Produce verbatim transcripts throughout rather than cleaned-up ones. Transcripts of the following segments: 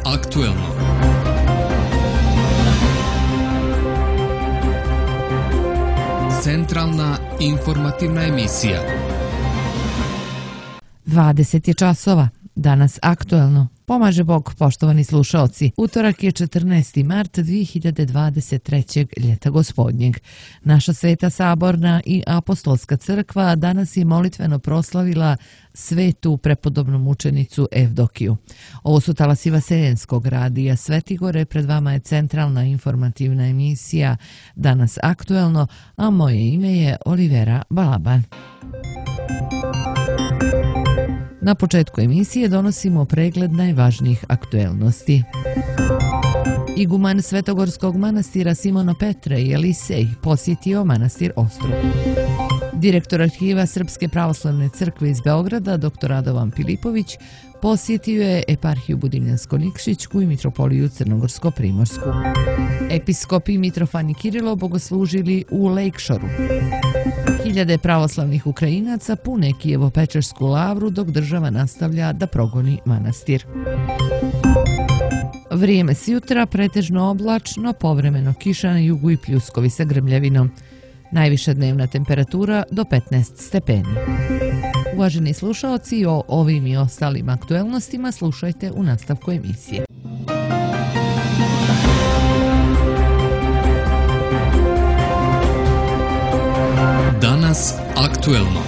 aktuelno. Centralna informativna emisija. dvadeset je časova. Danas aktuelno. Pomaže Bog, poštovani slušaoci. Utorak je četrnaesti mart dvije hiljade dvadeset trećeg. ljeta gospodnjeg. Naša Sveta Saborna i Apostolska crkva danas je molitveno proslavila svetu prepodobnu mučenicu Evdokiju. Ovo su talasi Vaseljenskog radija Svetigore, pred vama je centralna informativna emisija Danas aktuelno, a moje ime je Olivera Balaban. Na početku emisije donosimo pregled najvažnijih aktuelnosti. Iguman Svetogorskog manastira Simono Petre i Elisej posjetio manastir Ostrog. Direktor arhiva Srpske pravoslavne crkve iz Beograda, dr Radovan Pilipović, posjetio je eparhiju Budimljansko-Nikšićku i mitropoliju Crnogorsko-Primorsku. Episkopi Mitrofan i Kirilo bogoslužili u Lejkšoru. Hiljade pravoslavnih Ukrajinaca pune Kijevo-Pečersku lavru dok država nastavlja da progoni manastir. Vrijeme s jutra pretežno oblačno, povremeno kiša na jugu i pljuskovi sa grmljavinom. Najviša dnevna temperatura do petnaest stepeni. Uvaženi slušaoci, o ovim i ostalim aktuelnostima slušajte u nastavku emisije. Danas aktuelno.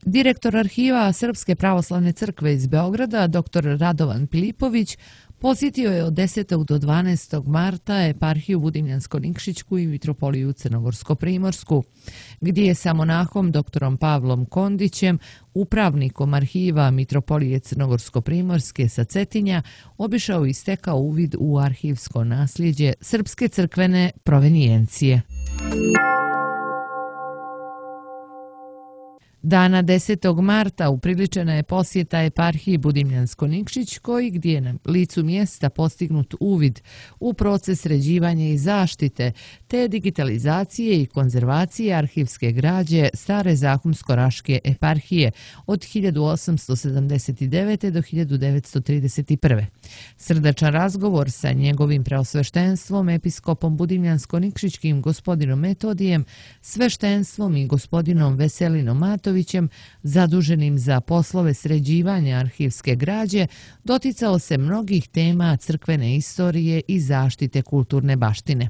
Direktor arhiva Srpske pravoslavne crkve iz Beograda, dr Radovan Pilipović, posjetio je od desetog do dvanaestog marta eparhiju Budimljansko-Nikšićku i mitropoliju Crnogorsko-Primorsku, gdje je sa monahom dr Pavlom Kondićem, upravnikom arhiva mitropolije Crnogorsko-Primorske sa Cetinja, obišao i stekao uvid u arhivsko nasljeđe srpske crkvene provenijencije. Dana desetog marta upriličena je posjeta eparhiji Budimljansko-Nikšićkoj, gdje je na licu mjesta postignut uvid u proces sređivanja i zaštite, te digitalizacije i konzervacije arhivske građe stare Zahumsko-Raške eparhije od hiljadu osamsto sedamdeset devete. do hiljadu devetsto trideset prve. Srdačan razgovor sa njegovim preosveštenstvom, episkopom Budimljansko-Nikšićkim gospodinom Metodijem, sveštenstvom i gospodinom Veselinom Matovićem, zaduženim za poslove sređivanja arhivske građe, doticao se mnogih tema crkvene istorije i zaštite kulturne baštine.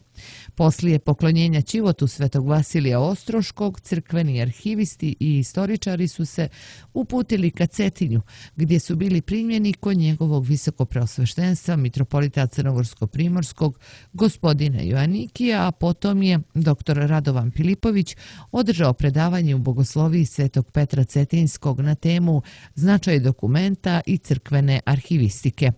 Poslije poklonjenja ćivotu Svetog Vasilija Ostroškog, crkveni arhivisti i istoričari su se uputili ka Cetinju, gdje su bili primljeni kod njegovog visokopreosveštenstva mitropolita Crnogorsko-Primorskog gospodina Joanikija, a potom je dr Radovan Pilipović održao predavanje u bogosloviji Svetog Petra Cetinjskog na temu značaj dokumenta i crkvene arhivistike.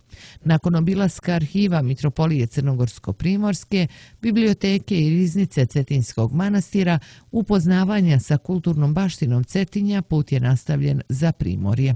Nakon obilaska arhiva mitropolije Crnogorsko-Primorske, biblioteke i riznice Cetinjskog manastira, upoznavanja sa kulturnom baštinom Cetinja, put je nastavljen za Primorje.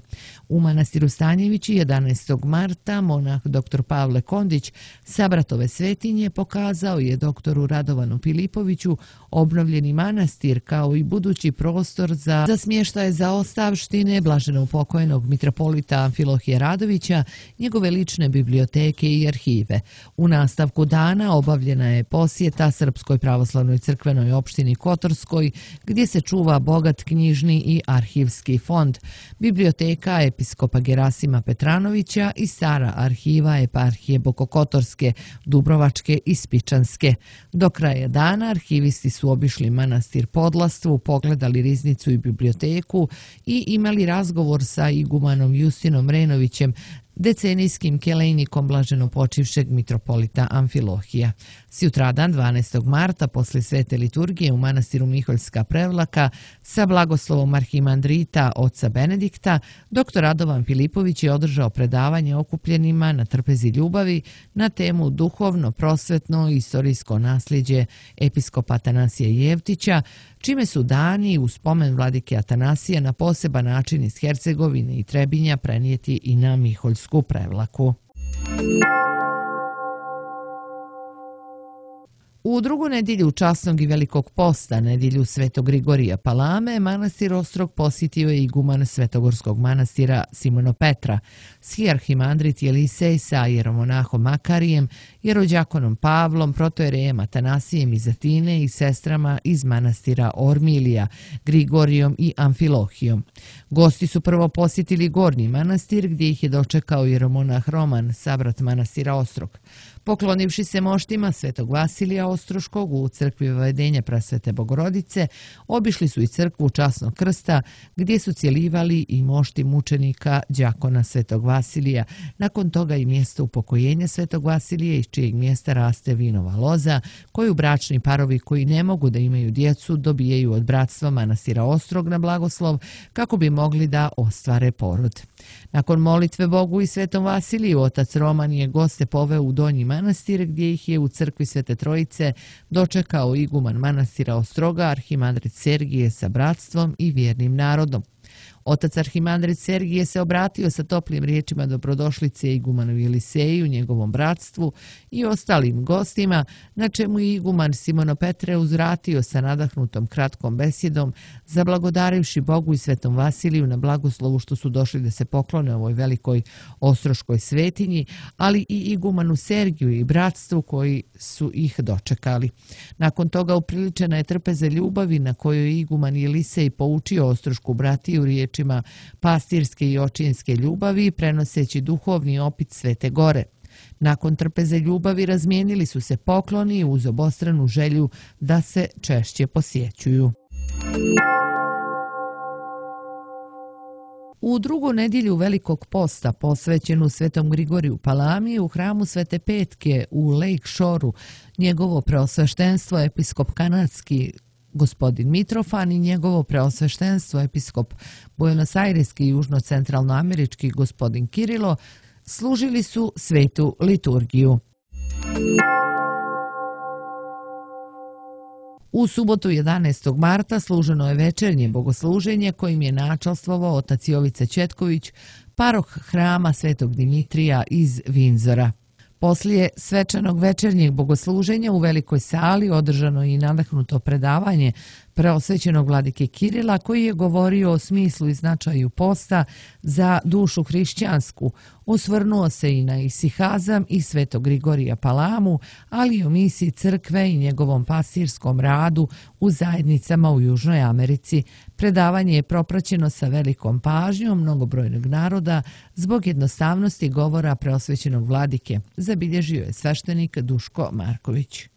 U manastiru Stanjevići jedanaestog marta monah dr Pavle Kondić sa Bratove Svetinje pokazao je doktoru Radovanu Pilipoviću obnovljeni manastir kao i budući prostor za, za smještaje zaostavštine blaženopokojnog mitropolita Amfilohije Radovića, njegove lične biblioteke i arhive. U nastavku dana obavljena je posjeta Srpskoj pravoslavnoj crkvenoj opštini Kotorskoj, gdje se čuva bogat knjižni i arhivski fond, biblioteka episkopa Gerasima Petranovića i stara arhiva eparhije Bokokotorske, Dubrovačke i Spičanske. Do kraja dana arhivisti su obišli manastir Podlastvu, pogledali riznicu i biblioteku i imali razgovor sa igumanom Justinom Renovićem, decenijskim kelejnikom blaženopočivšeg mitropolita Amfilohija. Sjutradan dvanaestog marta posle svete liturgije u manastiru Miholjska Prevlaka sa blagoslovom arhimandrita oca Benedikta, dr Radovan Pilipović je održao predavanje okupljenima na trpezi ljubavi na temu duhovno, prosvetno i istorijsko nasljeđe episkopa Atanasija Jevtića, čime su dani u spomen vladike Atanasija na poseban način iz Hercegovine i Trebinja prenijeti i na Miholjsku Prevlaku. U drugu nedjelju časnog i velikog posta, nedjelju Svetog Grigorija Palame, manastir Ostrog posjetio je iguman Svetogorskog manastira Simono Petra, shijarhimandrit Jelisej sa jeromonahom Makarijem, jerođakonom Pavlom, protojerejem Atanasijem iz Atine i sestrama iz manastira Ormilija, Grigorijom i Amfilohijom. Gosti su prvo posjetili Gornji manastir gdje ih je dočekao jeromonah Roman, sabrat manastira Ostrog. Poklonivši se moštima Svetog Vasilija Ostroškog u crkvi Vavedenja Prasvete Bogorodice, obišli su i crkvu Časnog krsta gdje su cjelivali i mošti mučenika đakona Svetog Vasilija, nakon toga i mjesto upokojenja Svetog Vasilija iz čijeg mjesta raste vinova loza, koju bračni parovi koji ne mogu da imaju djecu dobijaju od bratstva manastira Ostrog na blagoslov kako bi mogli da ostvare porod. Nakon molitve Bogu i Svetom Vasiliju, otac Roman je goste poveo u Donji manastir gdje ih je u crkvi Svete Trojice dočekao iguman manastira Ostroga, arhimandrit Sergije sa bratstvom i vjernim narodom. Otac arhimandrit Sergije se obratio sa toplim riječima dobrodošlice igumanu Jeliseju, njegovom bratstvu i ostalim gostima, na čemu je iguman Simono Petre uzvratio sa nadahnutom kratkom besjedom, zablagodarivši Bogu i Svetom Vasiliju na blagoslovu što su došli da se poklone ovoj velikoj ostroškoj svetinji, ali i igumanu Sergiju i bratstvu koji su ih dočekali. Nakon toga upriličena je trpeza ljubavi na kojoj je iguman Jelisej poučio ostrošku bratiju riječima pastirske i očinske ljubavi, prenoseći duhovni opit Svete Gore. Nakon trpeze ljubavi razmijenili su se pokloni uz obostranu želju da se češće posjećuju. U drugu nedjelju velikog posta posvećenu Svetom Grigoriju Palami u hramu Svete Petke u Lake Shoreu, njegovo preosveštenstvo episkop kanadski gospodin Mitrofan i njegovo preosveštenstvo episkop Buenos-Aireski i južno-centralnoamerički gospodin Kirilo služili su svetu liturgiju. U subotu jedanaestog marta služeno je večernje bogosluženje kojim je načalstvovao otac Jovica Četković, paroh hrama Svetog Dimitrija iz Vinzora. Poslije svečanog večernjeg bogosluženja u velikoj sali održano je i nadahnuto predavanje preosvećenog vladike Kirila koji je govorio o smislu i značaju posta za dušu hrišćansku. Osvrnuo se i na isihazam i Svetog Grigorija Palamu, ali i o misiji crkve i njegovom pastirskom radu u zajednicama u Južnoj Americi. Predavanje je propraćeno sa velikom pažnjom mnogobrojnog naroda zbog jednostavnosti govora preosvećenog vladike, zabilježio je sveštenik Duško Marković.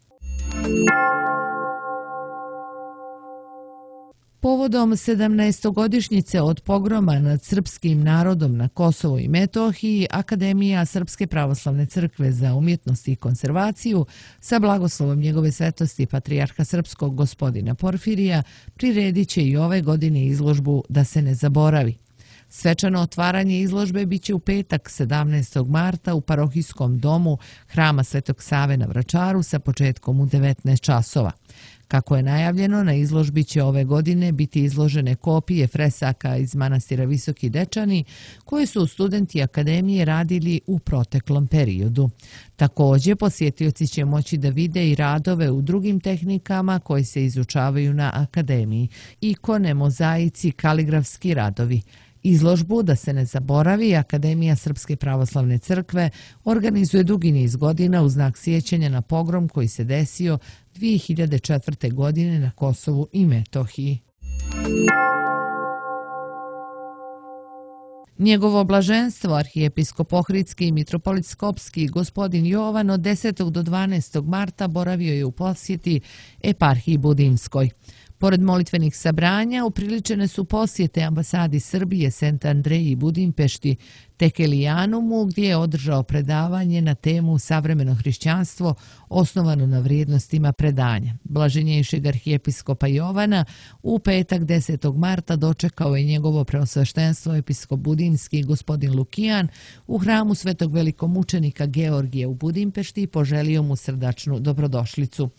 Povodom sedamnaestogodišnjice od pogroma nad srpskim narodom na Kosovo i Metohiji, Akademija Srpske pravoslavne crkve za umjetnost i konzervaciju sa blagoslovom njegove svetosti patrijarha srpskog gospodina Porfirija priredit će i ove godine izložbu Da se ne zaboravi. Svečano otvaranje izložbe biće u petak sedamnaestog marta u parohijskom domu Hrama Svetog Save na Vračaru sa početkom u devetnaest časova. Kako je najavljeno, na izložbi će ove godine biti izložene kopije fresaka iz manastira Visoki Dečani koje su studenti Akademije radili u proteklom periodu. Također, posjetioci će moći da vide i radove u drugim tehnikama koje se izučavaju na Akademiji, ikone, mozaici, kaligrafski radovi. Izložbu Da se ne zaboravi Akademija Srpske pravoslavne crkve organizuje dugi niz godina u znak sjećanja na pogrom koji se desio dvije hiljade četvrte. godine na Kosovu i Metohiji. Njegovo blaženstvo, arhijepiskop Ohridski i mitropolit Skopski gospodin Jovan od desetog do dvanaestog marta boravio je u posjeti eparhiji Budimskoj. Pored molitvenih sabranja, upriličene su posjete ambasadi Srbije, Sent Andreji i Budimpešti, Tekelijanumu, gdje je održao predavanje na temu Savremeno hrišćanstvo osnovano na vrijednostima predanja. Blaženjejšeg arhijepiskopa Jovana u petak desetog marta dočekao je njegovo preosveštenstvo episkop Budimski gospodin Lukijan u hramu Svetog velikomučenika Georgija u Budimpešti i poželio mu srdačnu dobrodošlicu.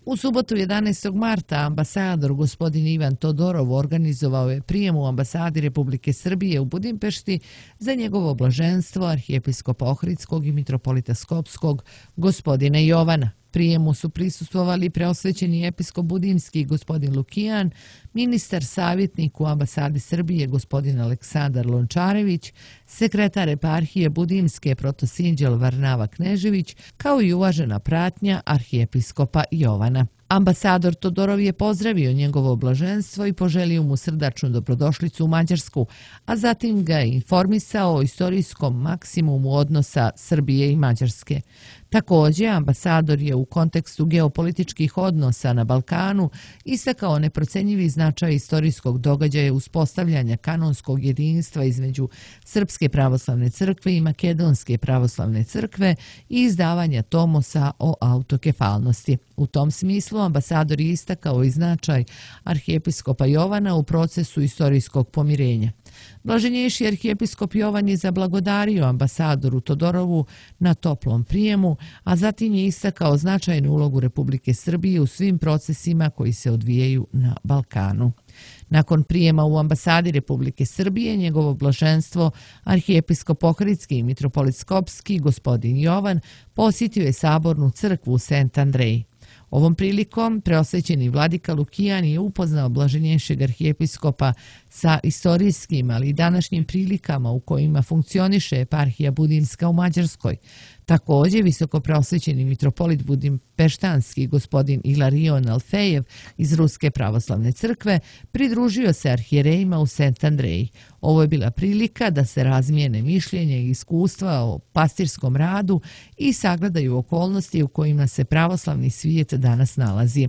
U subotu jedanaestog marta ambasador gospodin Ivan Todorov organizovao je prijem u ambasadi Republike Srbije u Budimpešti za njegovo blaženstvo arhijepiskopa Ohridskog i mitropolita Skopskog gospodina Jovana. Prijemu su prisustvovali preosvećeni episkop Budimski gospodin Lukijan, ministar savjetnik u ambasadi Srbije gospodin Aleksandar Lončarević, sekretar eparhije Budimske protosinđel Varnava Knežević, kao i uvažena pratnja arhijepiskopa Jovana. Ambasador Todorov je pozdravio njegovo blaženstvo i poželio mu srdačnu dobrodošlicu u Mađarsku, a zatim ga je informisao o istorijskom maksimumu odnosa Srbije i Mađarske. Također, ambasador je u kontekstu geopolitičkih odnosa na Balkanu istakao neprocenjivi značaj istorijskog događaja uspostavljanja kanonskog jedinstva između Srpske pravoslavne crkve i Makedonske pravoslavne crkve i izdavanja tomosa o autokefalnosti. U tom smislu ambasador je istakao i značaj arhijepiskopa Jovana u procesu istorijskog pomirenja. Blaženjejši arhijepiskop Jovan je zablagodario ambasadoru Todorovu na toplom prijemu, a zatim je istakao značajnu ulogu Republike Srbije u svim procesima koji se odvijaju na Balkanu. Nakon prijema u ambasadi Republike Srbije, njegovo blaženstvo, arhijepiskop Ohridski i mitropolit Skopski, gospodin Jovan, posjetio je sabornu crkvu u Sent Andrej. Ovom prilikom preosvećeni vladika Lukijan je upoznao blaženjejšeg arhijepiskopa sa istorijskim, ali i današnjim prilikama u kojima funkcioniše eparhija Budimska u Mađarskoj. Također, visoko preosvećeni mitropolit Budimpeštanski gospodin Ilarion Alfejev iz Ruske pravoslavne crkve pridružio se arhijerejima u Sent Andreji. Ovo je bila prilika da se razmijene mišljenja i iskustva o pastirskom radu i sagledaju okolnosti u kojima se pravoslavni svijet danas nalazi.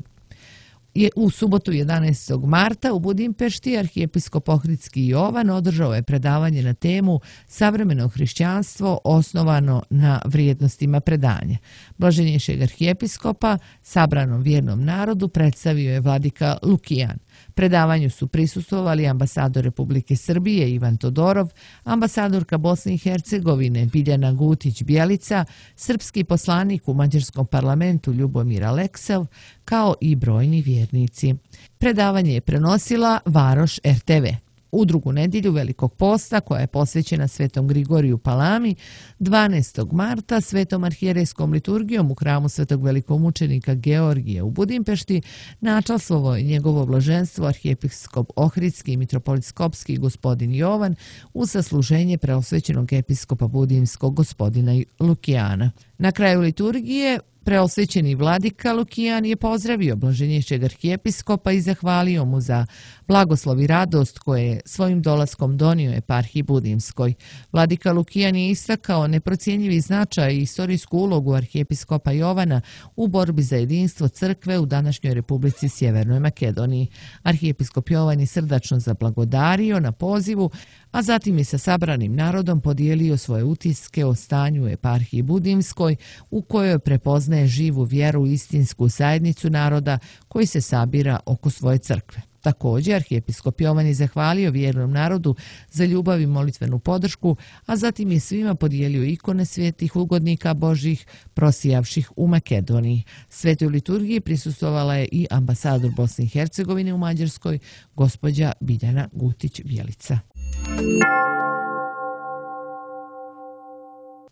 Je u subotu jedanaestog marta u Budimpešti arhijepiskop Ohridski Jovan održao je predavanje na temu Savremeno hrišćanstvo osnovano na vrijednostima predanja. Blaženjejšeg arhijepiskopa sabranom vjernom narodu predstavio je vladika Lukijan. Predavanju su prisustvovali ambasador Republike Srbije Ivan Todorov, ambasadorka Bosne i Hercegovine Biljana Gutić-Bjelica, srpski poslanik u Mađarskom parlamentu Ljubomir Aleksev, kao i brojni vjernici. Predavanje je prenosila Varoš er te ve. U drugu nedjelju Velikog posta, koja je posvećena Svetom Grigoriju Palami, dvanaestog marta Svetom arhijerejskom liturgijom u hramu Svetog velikomučenika Georgija u Budimpešti načastvovao je njegovo blaženstvo arhijepiskop Ohridski i mitropolit Skopski gospodin Jovan u sasluženje preosvećenog episkopa Budimskog gospodina Lukijana. Na kraju liturgije preosvećeni vladika Lukijan je pozdravio blaženjejšeg arhijepiskopa i zahvalio mu za blagoslov i radost koje je svojim dolaskom donio eparhiji Budimskoj. Vladika Lukijan je istakao neprocjenjivi značaj i istorijsku ulogu arhijepiskopa Jovana u borbi za jedinstvo crkve u današnjoj Republici Sjevernoj Makedoniji. Arhijepiskop Jovan je srdačno zablagodario na pozivu, a zatim je sa sabranim narodom podijelio svoje utiske o stanju u eparhiji Budimskoj, u kojoj prepoznaje živu vjeru i istinsku zajednicu naroda koji se sabira oko svoje crkve. Također, arhijepiskop Jovan je zahvalio vjernom narodu za ljubav i molitvenu podršku, a zatim je svima podijelio ikone svetih ugodnika Božih prosijavših u Makedoniji. Svetoj liturgiji prisustvovala je i ambasador Bosne i Hercegovine u Mađarskoj, gospođa Biljana Gutić-Bjelica.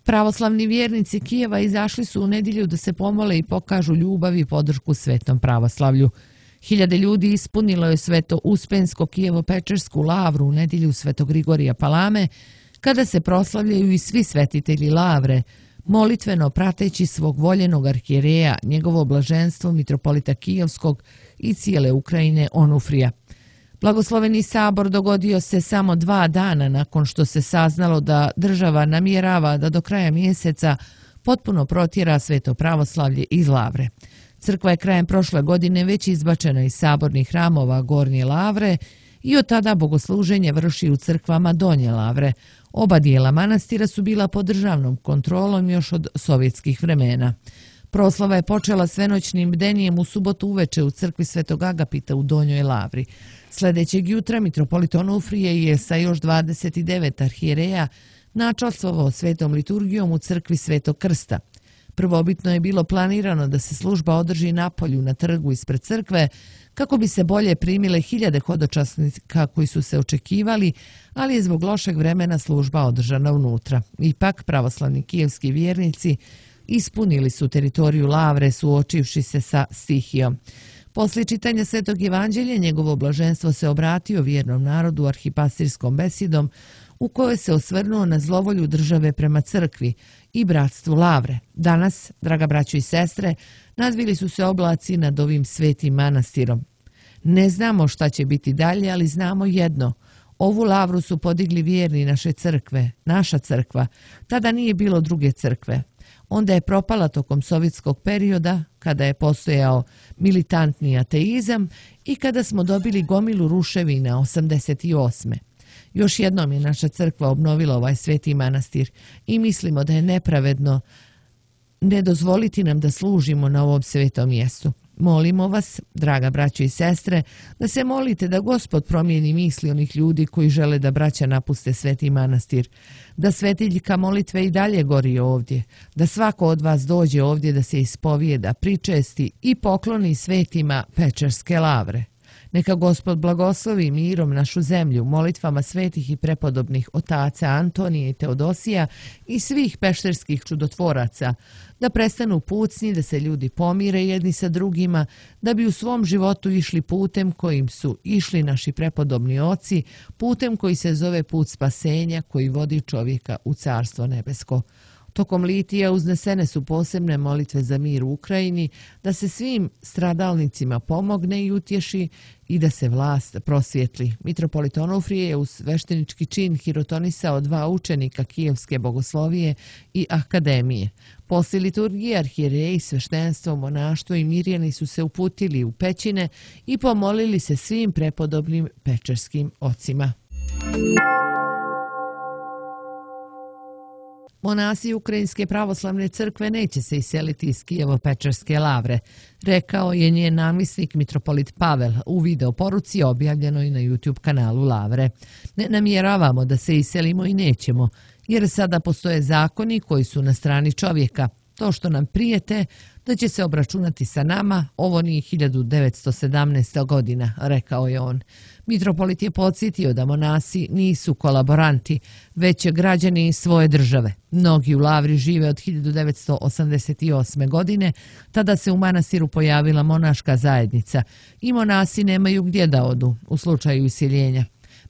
Pravoslavni vjernici Kijeva izašli su u nedjelju da se pomole i pokažu ljubav i podršku svetom pravoslavlju. Hiljade ljudi ispunilo je sveto Uspensko Kijevo-Pečersku lavru u nedjelju Svetog Grigorija Palame, kada se proslavljaju i svi svetitelji lavre, molitveno prateći svog voljenog arhijereja, njegovo blaženstvo mitropolita Kijevskog i cijele Ukrajine Onufrija. Blagosloveni sabor dogodio se samo dva dana nakon što se saznalo da država namjerava da do kraja mjeseca potpuno protjera sveto pravoslavlje iz lavre. Crkva je krajem prošle godine već izbačena iz sabornih hramova Gornje lavre i od tada bogosluženje vrši u crkvama Donje lavre. Oba dijela manastira su bila pod državnom kontrolom još od sovjetskih vremena. Proslava je počela svenoćnim bdenijem u subotu uveče u crkvi Svetog Agapita u Donjoj lavri. Sljedećeg jutra mitropolit Onufrije je sa još dvadeset devet arhijereja načastvovao svetom liturgijom u crkvi Svetog Krsta. Prvobitno je bilo planirano da se služba održi napolju na trgu ispred crkve kako bi se bolje primile hiljade hodočasnika koji su se očekivali, ali je zbog lošeg vremena služba održana unutra. Ipak, pravoslavni kijevski vjernici ispunili su teritoriju Lavre suočivši se sa stihijom. Poslije čitanja Svetog evanđelja, njegovo blaženstvo se obratio vjernom narodu arhipastirskom besedom u kojoj se osvrnuo na zlovolju države prema crkvi i bratstvu Lavre. Danas, draga braćo i sestre, nadvili su se oblaci nad ovim svetim manastirom. Ne znamo šta će biti dalje, ali znamo jedno. Ovu Lavru su podigli vjerni naše crkve, naša crkva. Tada nije bilo druge crkve. Onda je propala tokom sovjetskog perioda, kada je postojao militantni ateizam i kada smo dobili gomilu ruševina osamdeset osme. Još jednom je naša crkva obnovila ovaj sveti manastir i mislimo da je nepravedno ne dozvoliti nam da služimo na ovom svetom mjestu. Molimo vas, draga braćo i sestre, da se molite da Gospod promijeni misli onih ljudi koji žele da braća napuste sveti manastir, da svetiljka molitve i dalje gori ovdje, da svako od vas dođe ovdje da se ispovijeda, pričesti i pokloni svetima Pečerske Lavre. Neka Gospod blagoslovi mirom našu zemlju, molitvama svetih i prepodobnih otaca Antonije i Teodosija i svih pešterskih čudotvoraca, da prestanu pucnji, da se ljudi pomire jedni sa drugima, da bi u svom životu išli putem kojim su išli naši prepodobni oci, putem koji se zove put spasenja, koji vodi čovjeka u Carstvo nebesko. Tokom litija uznesene su posebne molitve za mir u Ukrajini, da se svim stradalnicima pomogne i utješi i da se vlast prosvjetli. Mitropolit Onufrije je u sveštenički čin hirotonisao dva učenika Kijevske bogoslovije i akademije. Poslije liturgije arhijereji, sveštenstvo, monaštvo i mirjani su se uputili u pećine i pomolili se svim prepodobnim pečerskim ocima. Monasi Ukrajinske pravoslavne crkve neće se iseliti iz Kijevo-Pečerske Lavre, rekao je njen namjesnik mitropolit Pavel u video poruci objavljenoj na YouTube kanalu Lavre. Ne namjeravamo da se iselimo i nećemo, jer sada postoje zakoni koji su na strani čovjeka. To što nam prijete da će se obračunati sa nama, ovo nije hiljadu devetsto sedamnaesta. godina, rekao je on. Mitropolit je podsjetio da monasi nisu kolaboranti, već građani svoje države. Mnogi u Lavri žive od hiljadu devetsto osamdeset osme. godine, tada se u manastiru pojavila monaška zajednica i monasi nemaju gdje da odu u slučaju iseljenja.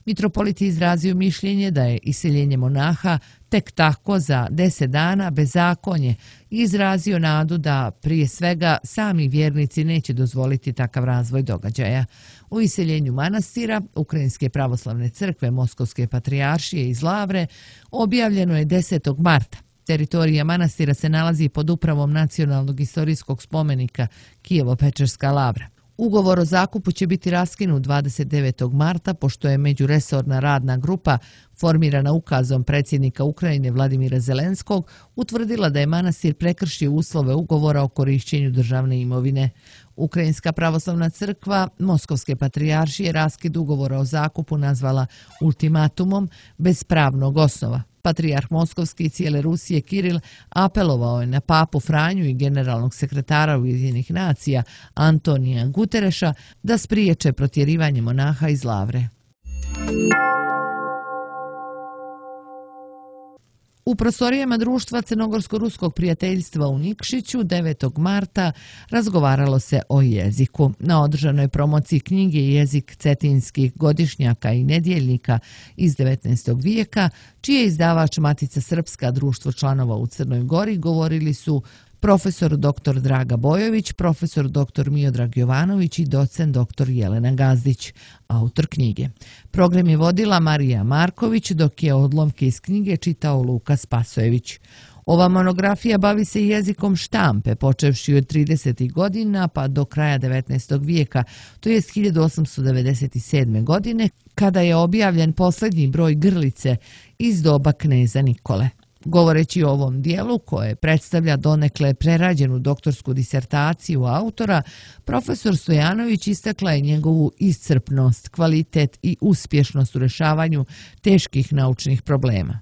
Mitropolit je izrazio mišljenje da je iseljenje monaha tek tako za deset dana bezakonje i izrazio nadu da prije svega sami vjernici neće dozvoliti takav razvoj događaja. U iseljenju manastira Ukrajinske pravoslavne crkve Moskovske patrijaršije iz Lavre objavljeno je desetog marta. Teritorija manastira se nalazi pod upravom nacionalnog historijskog spomenika Kijevo-Pečerska Lavra. Ugovor o zakupu će biti raskinut dvadeset devetog marta, pošto je međuresorna radna grupa formirana ukazom predsjednika Ukrajine Vladimira Zelenskog utvrdila da je manastir prekršio uslove ugovora o korišćenju državne imovine. Ukrajinska pravoslavna crkva Moskovske patrijaršije raskid ugovora o zakupu nazvala ultimatumom bez pravnog osnova. Patrijarh Moskovski i cijele Rusije Kiril apelovao je na papu Franju i generalnog sekretara Ujedinjenih nacija Antonija Gutereša da spriječe protjerivanje monaha iz Lavre. U prostorijama društva Crnogorsko-ruskog prijateljstva u Nikšiću devetog marta razgovaralo se o jeziku. Na održanoj promociji knjige Jezik cetinskih godišnjaka i nedjeljnika iz devetnaestog vijeka, čiji je izdavač Matica Srpska, društvo članova u Crnoj Gori, govorili su profesor doktor Draga Bojović, profesor doktor Miodrag Jovanović i docent doktor Jelena Gazdić, autor knjige. Program je vodila Marija Marković, dok je odlomke iz knjige čitao Luka Spasojević. Ova monografija bavi se jezikom štampe, počevši od tridesetih godina pa do kraja devetnaestog vijeka, to jest hiljadu osamsto devedeset sedme. godine, kada je objavljen posljednji broj Grlice iz doba kneza Nikole. Govoreći o ovom dijelu, koje predstavlja donekle prerađenu doktorsku disertaciju autora, profesor Stojanović istakla je njegovu iscrpnost, kvalitet i uspješnost u rješavanju teških naučnih problema.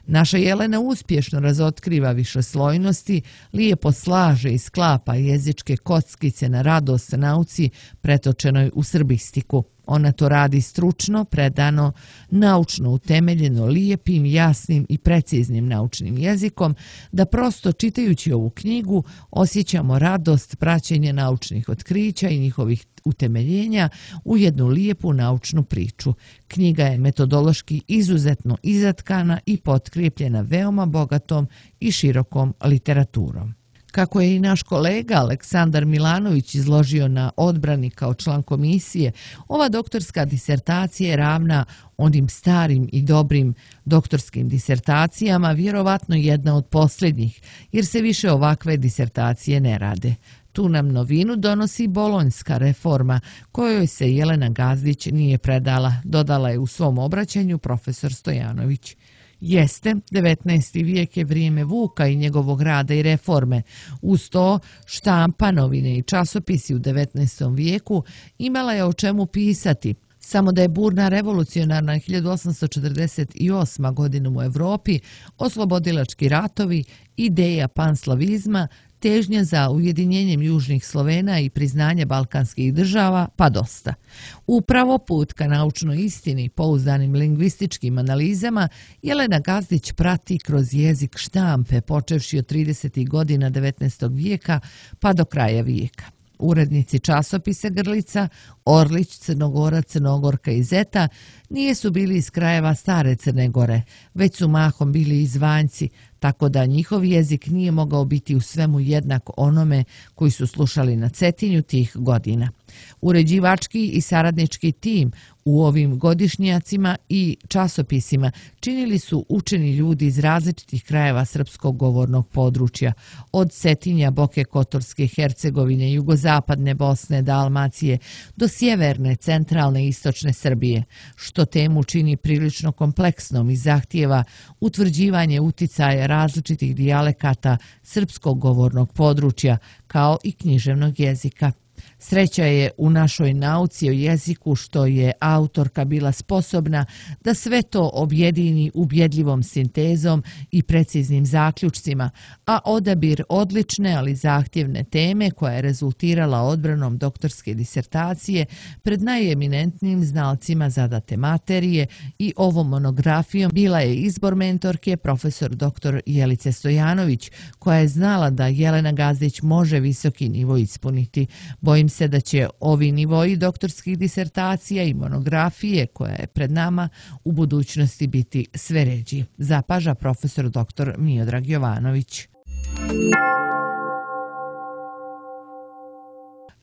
Naša Jelena uspješno razotkriva višeslojnosti, lijepo slaže i sklapa jezičke kockice na radost nauci pretočenoj u srbistiku. Ona to radi stručno, predano, naučno utemeljeno, lijepim, jasnim i preciznim naučnim jezikom, da prosto čitajući ovu knjigu osjećamo radost praćenja naučnih otkrića i njihovih utemeljenja u jednu lijepu naučnu priču. Knjiga je metodološki izuzetno izatkana i potkrijepljena veoma bogatom i širokom literaturom. Kako je i naš kolega Aleksandar Milanović izložio na odbrani kao član komisije, ova doktorska disertacija je ravna onim starim i dobrim doktorskim disertacijama, vjerovatno jedna od posljednjih, jer se više ovakve disertacije ne rade. Tu nam novinu donosi bolonjska reforma, kojoj se Jelena Gazdić nije predala, dodala je u svom obraćanju profesor Stojanović. Jeste, devetnaesti vijek je vrijeme Vuka i njegovog rada i reforme. Uz to, štampa, novine i časopisi u devetnaestom vijeku imala je o čemu pisati. Samo da je burna revolucionarna hiljadu osamsto četrdeset osma godina u Evropi, oslobodilački ratovi, ideja panslavizma, težnja za ujedinjenjem južnih Slovena i priznanje balkanskih država, pa dosta. Upravo put ka naučnoj istini, pouzdanim lingvističkim analizama, Jelena Gazdić prati kroz jezik štampe, počevši od tridesetih godina devetnaestog vijeka pa do kraja vijeka. Urednici časopisa Grlica, Orlić, Crnogora, Crnogorka i Zeta nijesu bili iz krajeva stare Crne Gore, već su mahom bili izvanjci, tako da njihov jezik nije mogao biti u svemu jednak onome koji su slušali na Cetinju tih godina. Uređivački i saradnički tim u ovim godišnjacima i časopisima činili su učeni ljudi iz različitih krajeva srpskog govornog područja, od Cetinja, Boke Kotorske, Hercegovine, jugozapadne Bosne, Dalmacije do sjeverne, centralne i istočne Srbije, što temu čini prilično kompleksnom i zahtijeva utvrđivanje uticaja različitih dijalekata srpskog govornog područja, kao i književnog jezika. Sreća je u našoj nauci o jeziku što je autorka bila sposobna da sve to objedini ubjedljivom sintezom i preciznim zaključcima, a odabir odlične, ali zahtjevne teme koja je rezultirala odbranom doktorske disertacije pred najeminentnijim znalcima zadate materije i ovom monografijom bila je izbor mentorke profesor doktor Jelice Stojanović, koja je znala da Jelena Gazdić može visoki nivo ispuniti. Bojim se da će ovi nivoji doktorskih disertacija i monografije koja je pred nama u budućnosti biti sve ređi, zapaža profesor doktor Miodrag Jovanović.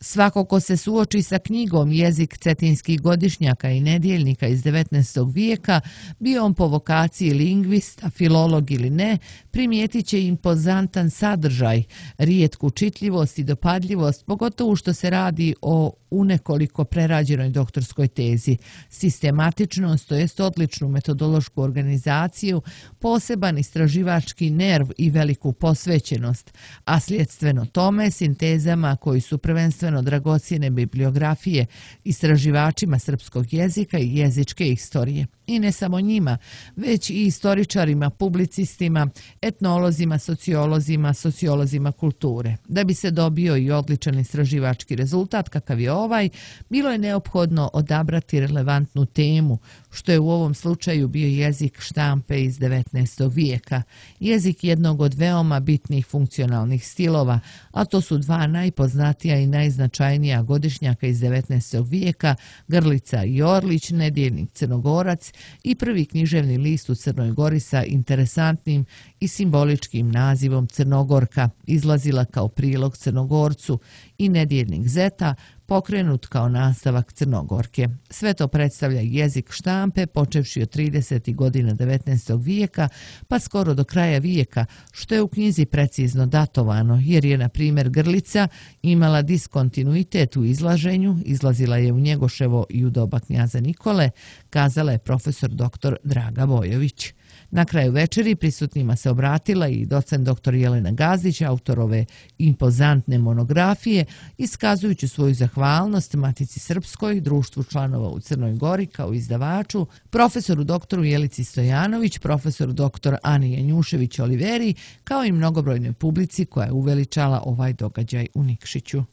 Svako ko se suoči sa knjigom Jezik cetinskih godišnjaka i nedjeljnika iz devetnaestog vijeka, bio on po vokaciji lingvista, filolog ili ne, primijetit će impozantan sadržaj, rijetku čitljivost i dopadljivost, pogotovo što se radi o u nekoliko prerađenoj doktorskoj tezi, sistematičnost, to jest odličnu metodološku organizaciju, poseban istraživački nerv i veliku posvećenost, a sljedstveno tome sintezama koji su prvenstveno dragocjene bibliografije istraživačima srpskog jezika i jezičke istorije. I ne samo njima, već i istoričarima, publicistima, etnolozima, sociolozima, sociolozima kulture. Da bi se dobio i odličan istraživački rezultat kakav je ovaj, bilo je neophodno odabrati relevantnu temu, što je u ovom slučaju bio jezik štampe iz devetnaestog vijeka, jezik jednog od veoma bitnih funkcionalnih stilova, a to su dva najpoznatija i najznačajnija godišnjaka iz devetnaestog vijeka, Grlica i Orlić, nedjeljnik Crnogorac i prvi književni list u Crnoj Gori sa interesantnim i simboličkim nazivom Crnogorka, izlazila kao prilog Crnogorcu, i nedjeljnik Zeta, pokrenut kao nastavak Crnogorke. Sve to predstavlja jezik štampe počevši od tridesetih godina devetnaestog vijeka pa skoro do kraja vijeka, što je u knjizi precizno datovano, jer je, na primjer, Grlica imala diskontinuitet u izlaženju, izlazila je u Njegoševo i u doba knjaza Nikole, kazala je profesor doktor Draga Bojović. Na kraju večeri prisutnima se obratila i docent doktor Jelena Gazdić, autor ove impozantne monografije, iskazujući svoju zahvalnost Matici Srpskoj, društvu članova u Crnoj Gori kao izdavaču, profesoru doktoru Jelici Stojanović, profesoru doktor Ani Janjušević Oliveri, kao i mnogobrojnoj publici koja je uveličala ovaj događaj u Nikšiću.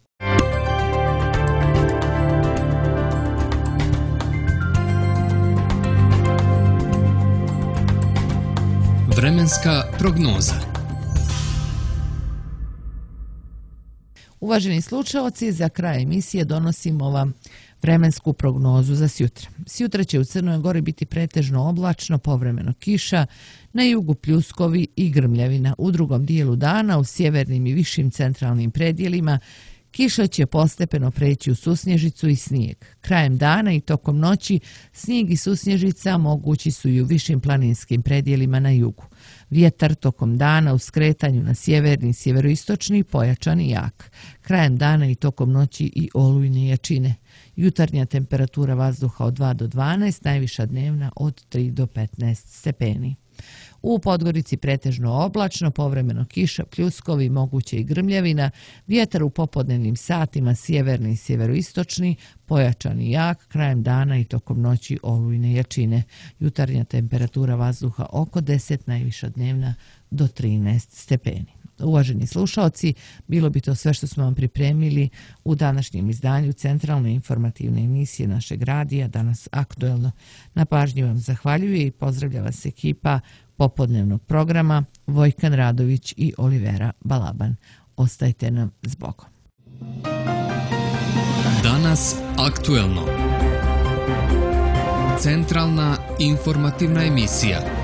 Vremenska prognoza. Uvaženi slušaoci, za kraj emisije donosimo vam vremensku prognozu za sjutra. Sjutra će u Crnoj Gori biti pretežno oblačno, povremeno kiša, na jugu pljuskovi i grmljavina. U drugom dijelu dana u sjevernim i višim centralnim predjelima kiša će postepeno preći u susnježicu i snijeg. Krajem dana i tokom noći snijeg i susnježica mogući su i u višim planinskim predjelima na jugu. Vjetar tokom dana u skretanju na sjeverni i sjeveroistočni pojačan i jak. Krajem dana i tokom noći i olujne jačine. Jutarnja temperatura vazduha od dva do dvanaest, najviša dnevna od tri do petnaest stepeni. U Podgorici pretežno oblačno, povremeno kiša, pljuskovi, moguće i grmljavina, vjetar u popodnevnim satima sjeverni i sjeveroistočni, pojačan i jak, krajem dana i tokom noći olujne jačine. Jutarnja temperatura vazduha oko deset, najviša dnevna do trinaest stepeni. Uvaženi slušaoci, bilo bi to sve što smo vam pripremili u današnjem izdanju centralne informativne emisije našeg radija, Danas aktuelno. Na pažnji vam zahvaljuje i pozdravlja vas ekipa popodnevnog programa Vojkan Radović i Olivera Balaban. Ostajte nam s Bogom. Danas aktuelno. Centralna informativna emisija.